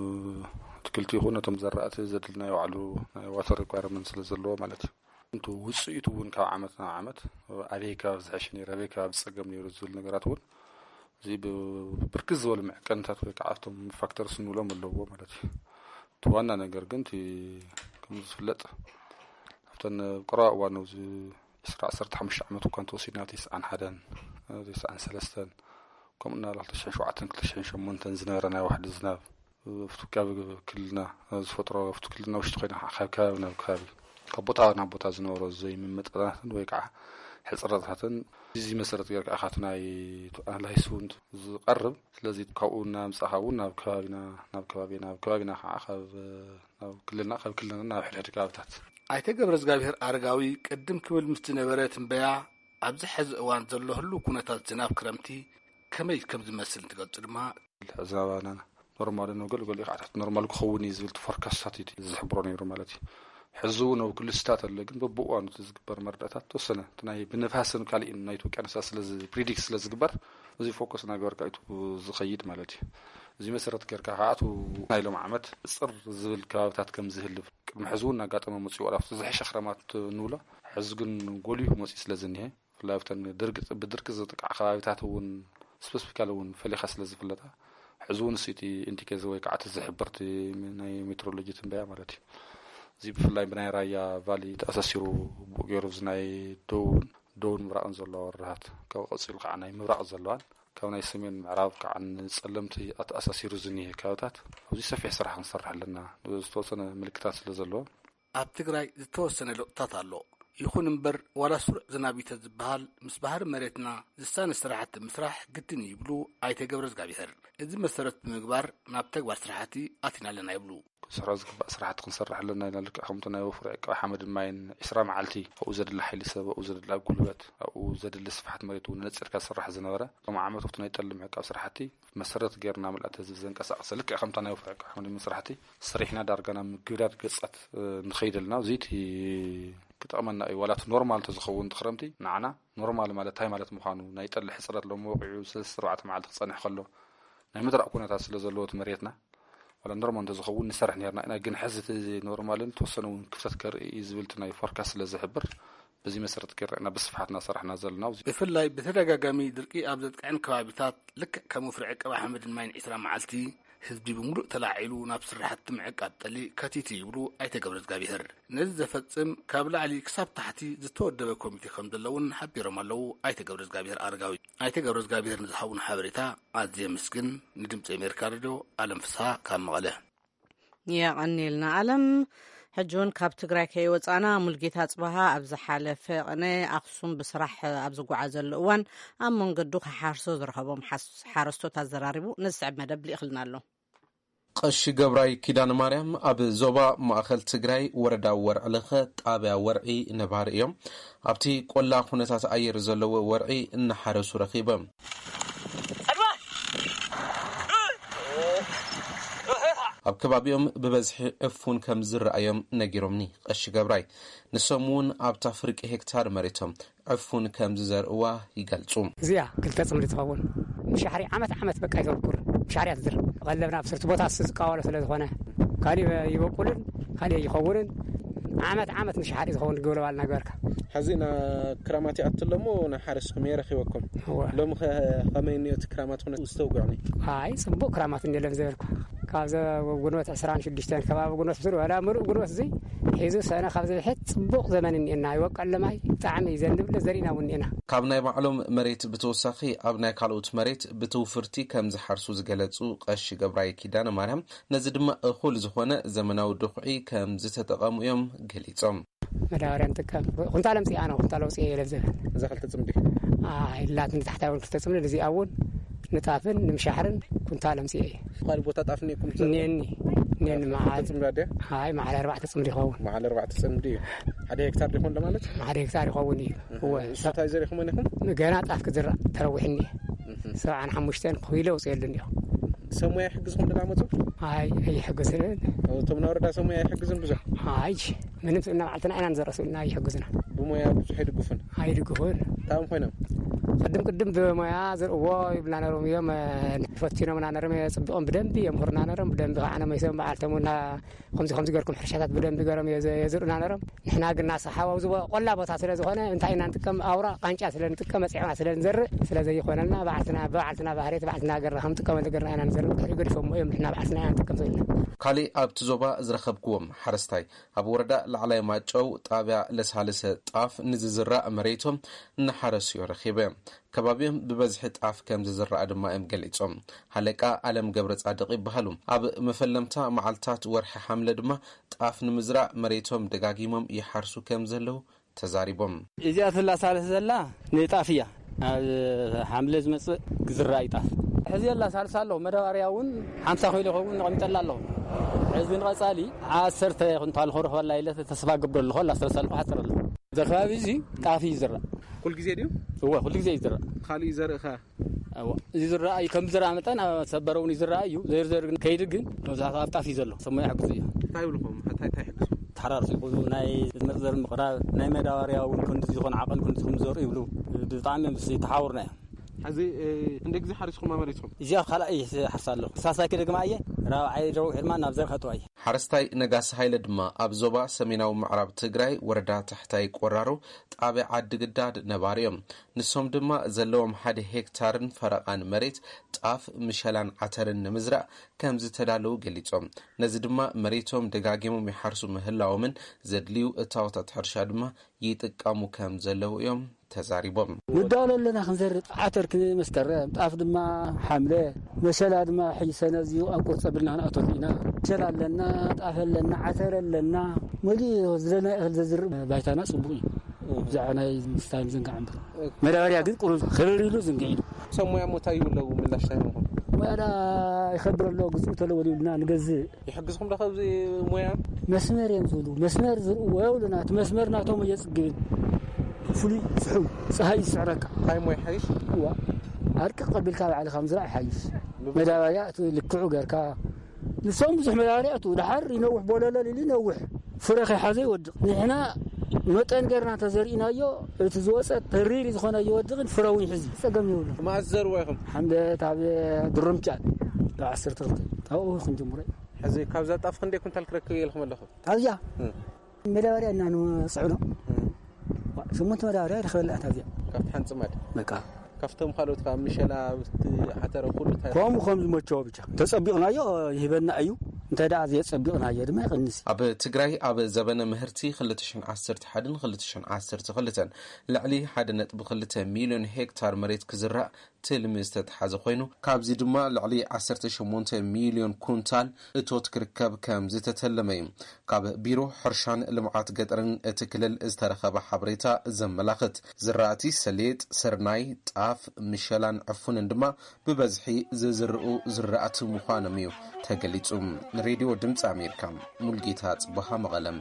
ኣትክልቲ ይኹን ነቶም ዘራእቲ ዘድሊ ናይ ባዕሉ ናይ ዋተር ሪኳየርመንት ስለ ዘለዎ ማለት እዩ። እቲ ውጽኢቱ እውን ካብ ዓመት ናብ ዓመት ኣበይ ከባቢ ዝሐሸ ነይሩ፣ ኣበይ ከባቢ ጸገም ነይሩ ዝብል ነገራት እውን እዚ ብ-፣ ብርክት ዝበሉ መዐቀንታት ወይ ከዓ ኣብቶም ፋክተርስ ንብሎም ኣለዎ ማለት እዩ። እቲ ዋና ነገር ግን እቲ ከምዚ ዝፍለጥ ኣብተን ቀረባ እዋን ኣብዚ ዕስራ ዓሰርተ ሓሙሽተ ዓመት እኳ እንተወሲድና፣ ኣብ ተስዓን ሓደን፣ ኣብ ተስዓን ሰለስተን፣ ከምኡ እናበለ ክልተ ሽሕን ሸውዓተን ክልተ ሽሕን ሸሞንተን ዝነበረ ናይ ዋሕዲ ዝናብ፣ ኣብቲ ከባቢ ክልልና ዝፈጥሮ፣ ኣብቲ ክልልና ውሽጢ ኮይና ካብ ከባቢ ናብ ከባቢ፣ ካብ ቦታ ናብ ቦታ ዝነበሮ ዘይምምጥጣናትን ወይ ከዓ ሕፅረታትን፣ እዚ መሰረት ጌርካ ኢኻ እቲ ናይ ኣናላይስ እውን ዝቐርብ። ስለዚ ካብኡ እናምፃእኻ እውን ናብ ከባቢና፣ ናብ ከባቢና፣ ናብ ከባቢና ከዓ ካብ፣ ናብ ክልልና፣ ካብ ክልልና ናብ ሕድሕድ ከባብታት። ኣይተ ገብረ እግዚኣብሔር ኣረጋዊ ቅድም ክብል ምስ ዝነበረ ትንበያ፣ ኣብዚ ሕዚ እዋን ዘሎ ህሉው ኩነታት ዝናብ ክረምቲ ከመይ ከም ዝመስል እንትገልጹ ድማ፣ ዝናባና ኖርማል ነው፣ ገለ ገለ ከዓ ትሕቲ ኖርማል ክኸውን እዩ ዝብል ፎርካስታት እዩ ዝሕብሮ ነይሩ ማለት እዩ። ሕዚ እውን ኣብ ክልል ስታት ኣሎ፣ ግን በብእዋኑ እቲ ዝግበር መረዳእታት ተወሰነ እቲ ናይ ብንፋስን ካልእን ናይ ውቅያኖሳት ስለ ዝ-፣ ፕሪዲክት ስለ ዝግበር፣ እዚ ፎከስ እናገበርካ እዩ ዝኸይድ ማለት እዩ። እዚ መሰረት ጌርካ ከዓ እቲ ናይ ሎም ዓመት ጽር ዝብል ከባብታት ከም ዝህልብ፣ ቅድሚ ሕዚ እውን እናጋጠመ መፅኡ፣ ዋላ ኣብቲ ዝሐሸ ክረማት ንብሎ፣ ሕዚ ግን ጎሊሁ መፅኡ ስለ ዝኒሀ፣ ብፍላይ ኣብተን ድርቂ፣ ብድርቂ ዝጥቃዕ ከባቢታት እውን ስፔሲፊካሊ እውን ፈሊኻ ስለ ዝፍለጣ፣ ሕዚ እውን እቲ ኢንዲኬተር ወይ ከዓ እቲ ዝሕብርቲ ናይ ሜትሮሎጂ ትንበያ ማለት እዩ። እዚ ብፍላይ ብናይ ራያ ቫሊ ተኣሳሲሩ ብኡ ገይሩ፣ እዚ ናይ ደቡብን፣ ደቡብ ምብራቕን ዘለዋ ወረዳታት፣ ካብኡ ቀፂሉ ከዓ ናይ ምብራቕ ዘለዋን፣ ካብ ናይ ሰሜን ምዕራብ ከዓ ንፀለምቲ ኣተኣሳሲሩ ዝኒሀ ከባቢታት ኣብዚ ሰፊሕ ስራሕ ክንሰርሕ ኣለና፣ ዝተወሰነ ምልክታት ስለ ዘለዎ። ኣብ ትግራይ ዝተወሰነ ለውጥታት ኣሎ። ይኹን እምበር፣ ዋላ ስሩዕ ዝናብ እዩ ተዝበሃል፣ ምስ ባህሪ መሬትና ዝሳነ ስራሕቲ ምስራሕ ግድን እዩ ይብሉ ኣይተ ገብረ እግዚኣብሔር። እዚ መሰረት ብምግባር ናብ ተግባር ስራሕቲ ኣቲና ኣለና ይብሉ። ክንሰርሖ ዝግባእ ስራሕቲ ክንሰርሕ ኣለና ኢና። ልክዕ ከምቲ ናይ ወፍሪ ዕቃብ ሓመድን ማይን፣ ዕስራ መዓልቲ ኣብኡ ዘድሊ ሓይሊ ሰብ፣ ኣብኡ ዘድሊ ጉልበት፣ ኣብኡ ዘድሊ ስፍሓት መሬት እውን ነፂርካ ዝስራሕ ዝነበረ፣ ሎም ዓመት ኣብቲ ናይ ጠሊ ምዕቃብ ስራሕቲ መሰረት ጌርና ምልኣት ህዝቢ ዘንቀሳቕሰ፣ ልክዕ ከምታ ናይ ወፍሪ ዕቃብ ሓመድን ማይን ስራሕቲ ሰሪሕና ዳርጋ ናብ ምግዳድ ገጻት፣ እ፣ ንኸይድ ኣለና። እዚ እቲ ክጠቕመና እዩ። ዋላ እቲ ኖርማል እንተዝኸውን እቲ ክረምቲ ንዓና ኖርማል ማለት እንታይ ማለት ምዃኑ፣ ናይ ጠሊ ሕፅረት ሎም ወቂዑ ሰለስተ ኣርባዕተ መዓልቲ ክጸንሕ ከሎ፣ ናይ ምድራቕ ኩነታት ስለ ዘለዎ እቲ መሬትና፣ ዋላ ኖርማል እንተዝኸውን ንሰርሕ ነርና ኢና። ግን ሕዚ እቲ ኖርማልን ተወሰነ እውን ክፍተት ከርኢ እዩ ዝብል እቲ ናይ ፎርካስት ስለ ዝሕብር፣ በዚ መሰረት ጌርና ኢና ብስፍሓት እናሰራሕና ዘለና። ብፍላይ ብተደጋጋሚ ድርቂ ኣብ ዘጥቅዐን ከባቢታት፣ ልክዕ ከም ወፍሪ ዕቀባ ሓመድን ማይን ዕስራ መዓልቲ፣ ህዝቢ ብምሉእ ተላዒሉ ናብ ስራሕቲ ምዕቃብ ጠሊ ከቲቱ ይብሉ ኣይተ ገብረ እግዚኣብሔር። ነዚ ዘፈጽም ካብ ላዕሊ ክሳብ ታሕቲ ዝተወደበ ኮሚቴ ከም ዘሎ እውን ሓቢሮም ኣለዉ ኣይተ ገብረ እግዚኣብሔር ኣረጋዊ። ኣይተ ገብረ እግዚኣብሔር ንዝሃቡን ሓበሬታ ኣዝየ የመስግን። ንድምፂ ኣሜሪካ ሬድዮ ኣለም ፍስሃ ካብ መቐለ። የቐንየልና ኣለም። ሕጂ እውን ካብ ትግራይ ከይወፃና፣ ሙልጌታ ጽባሃ ኣብ ዝሓለፈ ቅነ ኣኽሱም ብስራሕ ኣብ ዝጓዓዘሉ እዋን ኣብ መንገዱ ክሓርሶ ዝረኸቦም ሓስ-፣ ሓረስቶት ኣዘራሪቡ ነዚ ዝስዕብ መደብ ልኢኽልና ኣሎ። ቀሺ ገብራይ ኪዳነ ማርያም ኣብ ዞባ ማእኸል ትግራይ ወረዳ ወርዒ ለኸ ጣብያ ወርዒ ነባሪ እዮም። ኣብቲ ቆላ ኩነታት ኣየር ዘለዎ ወርዒ እናሓረሱ ረኺቦም። ኣብ ከባቢኦም ብበዝሒ ዕፉን ከም ዝረኣዮም ነጊሮምኒ ቀሺ ገብራይ። ንሶም እውን ኣብታ ፍርቂ ሄክታር መሬቶም ዕፉን ከም ዝዘርእዋ ይገልጹ። እዚኣ ክልተ ጽምዲ ትኸውን። ምሻሕሪ ዓመት ዓመት በቃ ይዘርኩር። ምሻሕሪ እያ ትዝር። ቀለብና ኣብ ስርቲ ቦታ እሱ ዝቃወሎ ስለ ዝኾነ፣ ካሊእ ይበቁልን ካሊእ ይኸውንን። ዓመት ዓመት ምሻሕሪ ዝኸውን ግብረ ባልና ገበርካ። ሕዚ ና ክራማት ይኣቱ ኣሎ እሞ፣ ንሓረስኩም የረኺበኩም። እወ። ሎሚ ኸ ከመይ እኒኦ እቲ ክራማት ኩነት ዝተውግዕኒ? ኣይ፣ ጽቡቕ ክራማት እንደ ለም ዘበልኩ። ኣብዚ ግንቦት ዕስራን ሽዱሽተን ከባቢ ግንቦት ብስሩ ዋላ ምሉእ ግንቦት እዚ ሒዙ ሰነ ካብ ዝብሕት ጽቡቕ ዘመን እኒኤና። ይወቀል ለማይ ብጣዕሚ እዩ ዘንብል ዘሪእና እውን እኒኤና። ካብ ናይ ባዕሎም መሬት ብተወሳኺ ኣብ ናይ ካልኦት መሬት ብትውፍርቲ ከም ዝሓርሱ ዝገለጹ ቀሺ ገብራይ ኪዳነ ማርያም፣ ነዚ ድማ እኹል ዝኾነ ዘመናዊ ድኹዒ ከም ዝተጠቐሙ እዮም ገሊጾም። መዳበርያ ንጥቀም። ኩንታል ኣምጺኣ ነው፣ ኩንታል ኣውጺኤ እየ ለብዘበን። እዛ ክልተ ጽምዲ? ኣይ፣ ላት ንታሕታይ እውን ክልተ ጽምዲ፣ ንዚኣ እውን ንጣፍን ንምሻሕርን ኩንታል ኣምጺኤ እየ። ካልእ ቦታ ጣፍ እኒኤኩም? እኒኤኒ፣ እኒኤኒ። መዓል ጽምዲ ኣድያ? ኣይ፣ መዓል ኣርባዕተ ጽምዲ ይኸውን። መዓል ኣርባዕተ ጽምዲ እዩ። ሓደ ሄክታር ዲኹም ለማለት? ሓደ ሄክታር ይኸውን እዩ። እወ። እሱ እንታይ ዘሪእኹም ኢኹም? ገና ጣፍ ክዝራእ ተረዊሕኒ። እህ። ሰብዓን ሓሙሽተን ኪሎ ኣውፅኤሉ እኒኦ። ሰብ ሞያ ይሕግዝኹም ዶ ዳመፁ? ኣይ፣ ኣይሕግዝን። እቶም ናይ ወረዳ ሰብ ሞያ ኣይሕግዝን ብዙሕ? ኣይ፣ ምንም ስእና ባዕልትና ኢና ንዘርእ ስእልና ኣይሕግዝና። ብሞያ ብዙሕ ኣይድግፉን? ኣይድግፉን። እንታይ እዮም ኮይኖም? ቅድም ቅድም ብሞያ ዘርእዎ ይብልና ነሮም እዮም፣ እ፣ ፈቲኖምና ነሮም፣ የፅብቖም ብደንቢ የምህሩና ነሮም፣ ብደንቢ ከዓ ነመይሶም በዓልቶም እና ከምዚ ከምዚ ገርኩም ሕርሻታት ብደንቢ ገሮም የዘ-፣ የዝርእና ነሮም። ንሕና ግን ናሳ ሓዋው ዝቦ-፣ ቆላ ቦታ ስለ ዝኾነ እንታይ ኢና ንጥቀም? ኣውራ ቃንጫ ስለ ንጥቀም፣ መፅዕና ስለ ንዘርእ ስለ ዘይኾነልና፣ በዓልትና፣ ብበዓልትና ባህርየት፣ በዓልትና ገርና ከም ጥቀመሉ ገርና ኢና ንዘርእ። ድሕሪ ገዲፎሞ እዮም፣ ንሕና በዓልትና ኢና ንጥቀም ዘለና። ካሊእ ኣብቲ ዞባ ዝረኸብክዎም ሓረስታይ፣ ኣብ ወረዳ ላዕላይ ማጨው ጣብያ ለሳልሰ ጣፍ ንዝዝራእ መሬቶም እናሓረሱ እዮም ረኺበ። ከባቢኦም ብበዝሒ ጣፍ ከም ዝዝራእ ድማ እዮም ገሊጾም። ሃለቃ ኣለም ገብረ ጻድቕ ይበሃሉ። ኣብ መፈለምታ መዓልታት ወርሒ ሓምለ ድማ ጣፍ ንምዝራእ መሬቶም ደጋጊሞም ይሓርሱ ከም ዘለዉ ተዛሪቦም። እዚኣ ትላሳለስ ዘላ ንጣፍ እያ። ኣብ ሓምለ ዝመጽእ ክዝራእ እዩ ጣፍ። ሕዚ የላ ሳልሳ ኣለኹ። መዳበርያ እውን ሓምሳ ኪሎ ይኸውን ነቐሚጠላ ኣለኹ። ሕዚ ንቐጻሊ ዓሰርተ ኩንታል ክረኽበላ ኢለ ተስፋ ገብር ኣለኹ። ኣላ ሳልሳ ኣለኹ፣ ሓፅር ኣለኹ። እዚ ከባቢ እዚ ጣፍ እዩ ዝዝራእ። ኩል ግዜ ድዩ? እወ፣ ኩሉ ግዜ እዩ ዝዝራእ። ካልእ እዩ ዘርኢ ኸ? እወ፣ እዚ ዝረኣ እዩ። ከም ዝረኣ መጠን ኣብ ሰበረ እውን ይዝረኣ እዩ። ዘይርዘር ግን ከይዲ ግን መብዛሕትኡ ኣብ ጣፍ እዩ ዘሎ። ሰሞያ ይሕግዙ እዩ። እንታይ ይብልኹም? እንታይ፣ እንታይ ይሕግዙ? ተሓራርሱ ይኹኑ፣ ናይ መርዘር ምቕራብ፣ ናይ መዳበርያ እውን ክንዲ ዝኾነ ዓቐን ክንዲ ዝኾነ ዘርኡ ይብሉ። ብጣዕሚ እዮም ዝተሓውርና እዮም። ሕዚ፣ እ፣ ክንደይ ግዜ ሓሪስኹም ኣብ መሬትኩም? እዚኣ ካልኣይ እየ ዝሓርሳ ኣለኹ። ሳልሳይ ክደግማ እየ። ራብዓይ ደው ዕድማ ናብ ዘር ከጥዋ እየ። ሓረስታይ ነጋሲ ሃይለ ድማ ኣብ ዞባ ሰሜናዊ ምዕራብ ትግራይ ወረዳ ታሕታይ ቆራሮ ጣብያ ዓዲ ግዳድ ነባሪ እዮም። ንሶም ድማ ዘለዎም ሓደ ሄክታርን ፈረቓን መሬት ጣፍ፣ ምሸላን ዓተርን ንምዝራእ ከም ዝተዳለዉ ገሊጾም። ነዚ ድማ መሬቶም ደጋጊሞም ይሓርሱ ምህላዎምን ዘድልዩ እታወታት ሕርሻ ድማ ይጥቀሙ ከም ዘለዉ እዮም ተዛሪቦም። ንዳሎ ኣለና ክንዘርእ፣ ዓተር ክመስከረም፣ ጣፍ ድማ ሓምለ፣ መሸላ ድማ ሕጂ ሰነ እዚኡ ኣብ ቁርፂ ኣቢልና ክንኣትወሉ ኢና። መሸላ ኣለና፣ ጣፍ ኣለና፣ ዓተር ኣለና፣ መሊኡ ዝደለና እኽሊ ዘዝርእ ባይታና ፅቡቕ እዩ። ብዛዕባ ናይ ምስታይ ምዝንጋዕ እምበር። መዳበርያ ግን ቁሩብ ክርር ኢሉ ዝንግዕ ኢሉ። ሰብ ሞያ ሞ እንታይ ይብለዉ ምላሽ እንታይ ይህብኹም? ሞያ ዳ ይኸብር ኣሎ፣ ግዝኡ ተለወል ይብልና ንገዝእ። ይሕግዝኹም ዶ ካብዚ ሞያ? መስመር እዮም ዝብሉ። መስመር ዝርእዎ የብሉና። እቲ መስመር ናቶም እየ ጽግብን። ፍሉይ ፍሑው ጸሃይ ይስዕረካ። እንታይ ሞያ ይሓይሽ? እዋ። ኣርቅቕ ኣቢልካ ባዕልኻ ምዝራእ ይሓይሽ። መዳበርያ እቲ ልክዑ ገርካ። ንሶም ብዙሕ መዳበርያ እቱ። ደሓር ይነውሕ፣ ቦለለል ኢሉ ይነውሕ። ፍረ ከይሓዘ ይወድቕ። ንሕና መጠን ገርና እንተዘሪእናዮ፣ እቲ ዝወጸ ተሪር ዝኾነ ይወድቕን ፍረ እውን ይሕዝ። ጸገም የብሉን። መኣስ ዘርዎ ኢኹም? ሓምለ፣ ካብ ድርምጫ፣ ካብ ዓሰርተ ክልተ፣ ካብኡ ክንጅምሮ። ሕዚ ካብዛ ጣፍ ክንደይ ኩንታል ክረክብ እየ ኢልኩም ኣለኹም? ካብዚኣ? እም። መዳበርያ እና ንጽዕኖ። እም። ዋ፣ ሸሞንተ መዳበርያ ይረኽበላ እታ እዚኣ። ካብቲ ሓንቲ ጽማድ? በቃ። ካብቶም ካልኦት ካብ ምሸላ፣ ኣብቲ ዓተረ ኩሉ እንታይ? ከምኡ ከም ዝመቸዎ ብቻ። ተጸቢቕናዮ ይህበና እዩ። እንተ ደኣ ዘየጸቢቕናዮ ድማ ይቕንስ። ኣብ ትግራይ ኣብ ዘበነ ምህርቲ ክልተ ሽሕን ዓሰርተ ሓደን ክልተ ሽሕን ዓሰርተ ክልተን ልዕሊ ሓደ ነጥቢ ክልተ ሚልዮን ሄክታር መሬት ክዝራእ ትልሚ ዝተትሓዘ ኮይኑ፣ ካብዚ ድማ ልዕሊ ዓሰርተ ሸሞንተ ሚልዮን ኩንታል እቶት ክርከብ ከም ዝተተለመ እዩ ካብ ቢሮ ሕርሻን ልምዓት ገጠርን እቲ ክልል ዝተረኸበ ሓበሬታ ዘመላኽት። ዝራእቲ ሰሊጥ፣ ስርናይ፣ ጣፍ፣ ምሸላን ዕፉንን ድማ ብበዝሒ ዝዝርኡ ዝራእቲ ምዃኖም እዩ ተገሊጹ። ንሬድዮ ድምፂ ኣሜሪካ፣ ሙልጌታ ጽበሃ፣ መቐለም።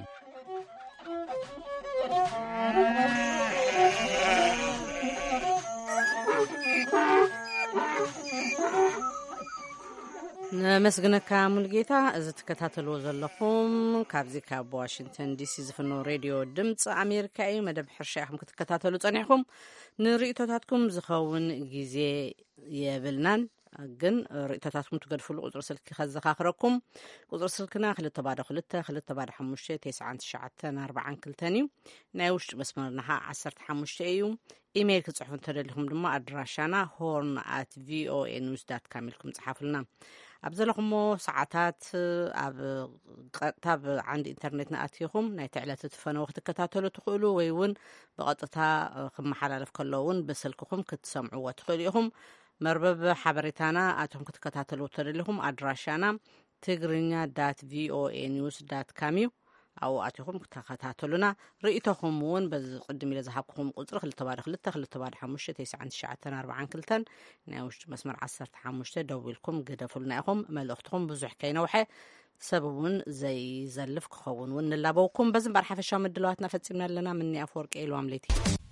ነመስግነካ ሙልጌታ። እዚ ትከታተልዎ ዘለኹም ካብዚ ካብ ዋሽንግተን ዲሲ ዝፍኖ ሬድዮ ድምፂ ኣሜሪካ እዩ። መደብ ሕርሻ ኢኹም ክትከታተሉ ጸኒሕኩም። ንርእይቶታትኩም ዝኸውን ግዜ የብልናን፣ ግን ርእይቶታትኩም ትገድፍሉ ቁጽሪ ስልኪ ከዘኻኽረኩም። ቁጽሪ ስልክና ክልተ ባዶ ክልተ፣ ክልተ ባዶ ሓሙሽተ፣ ተስዓን ትሽዓተን ኣርባዓን ክልተን እዩ። ናይ ውሽጢ መስመርና ኸዓ ዓሰርተ ሓሙሽተ እዩ። ኢሜይል ክትጽሕፉ እንተደሊኹም ድማ ኣድራሻና ሆርን ኣት ቪኦኤ ኒውስ ዳት ካም ኢልኩም ጽሓፉልና። ኣብ ዘለኹሞ ሰዓታት ኣብ ቀጥታ ብዓንዲ ኢንተርኔት ንኣትይኹም ናይቲ ዕለት እቲ ፈነወ ክትከታተሉ ትኽእሉ፣ ወይ እውን ብቐጥታ ክመሓላለፍ ከሎ እውን ብስልክኹም ክትሰምዕዎ ትኽእሉ ኢኹም። መርበብ ሓበሬታና ኣትኹም ክትከታተሉ ተደሊኹም ኣድራሻና ትግርኛ ዳት ቪኦኤ ኒውስ ዳት ካም እዩ። ኣብኡ ኣትኹም ተኸታተሉና። ርእይቶኹም እውን በዚ ቅድም ኢለ ዝሃብኩኹም ቁፅሪ ክልተ ባዶ ክልተ ክልተ ባዶ ሓሙሽተ ተስዓን ትሽዓተን ኣርባዓን ክልተን ናይ ውሽጢ መስመር ዓሰርተ ሓሙሽተ ደዊልኩም ግደፉልና ኢኹም። መልእኽትኹም ብዙሕ ከይነውሐ ሰብ እውን ዘይዘልፍ ክኸውን እውን ንላበውኩም። በዚ እምበር ሓፈሻዊ ምድላዋትና ፈፂምና ኣለና። ምኒ ኣፈወርቂ ኢልዋም ለይቲ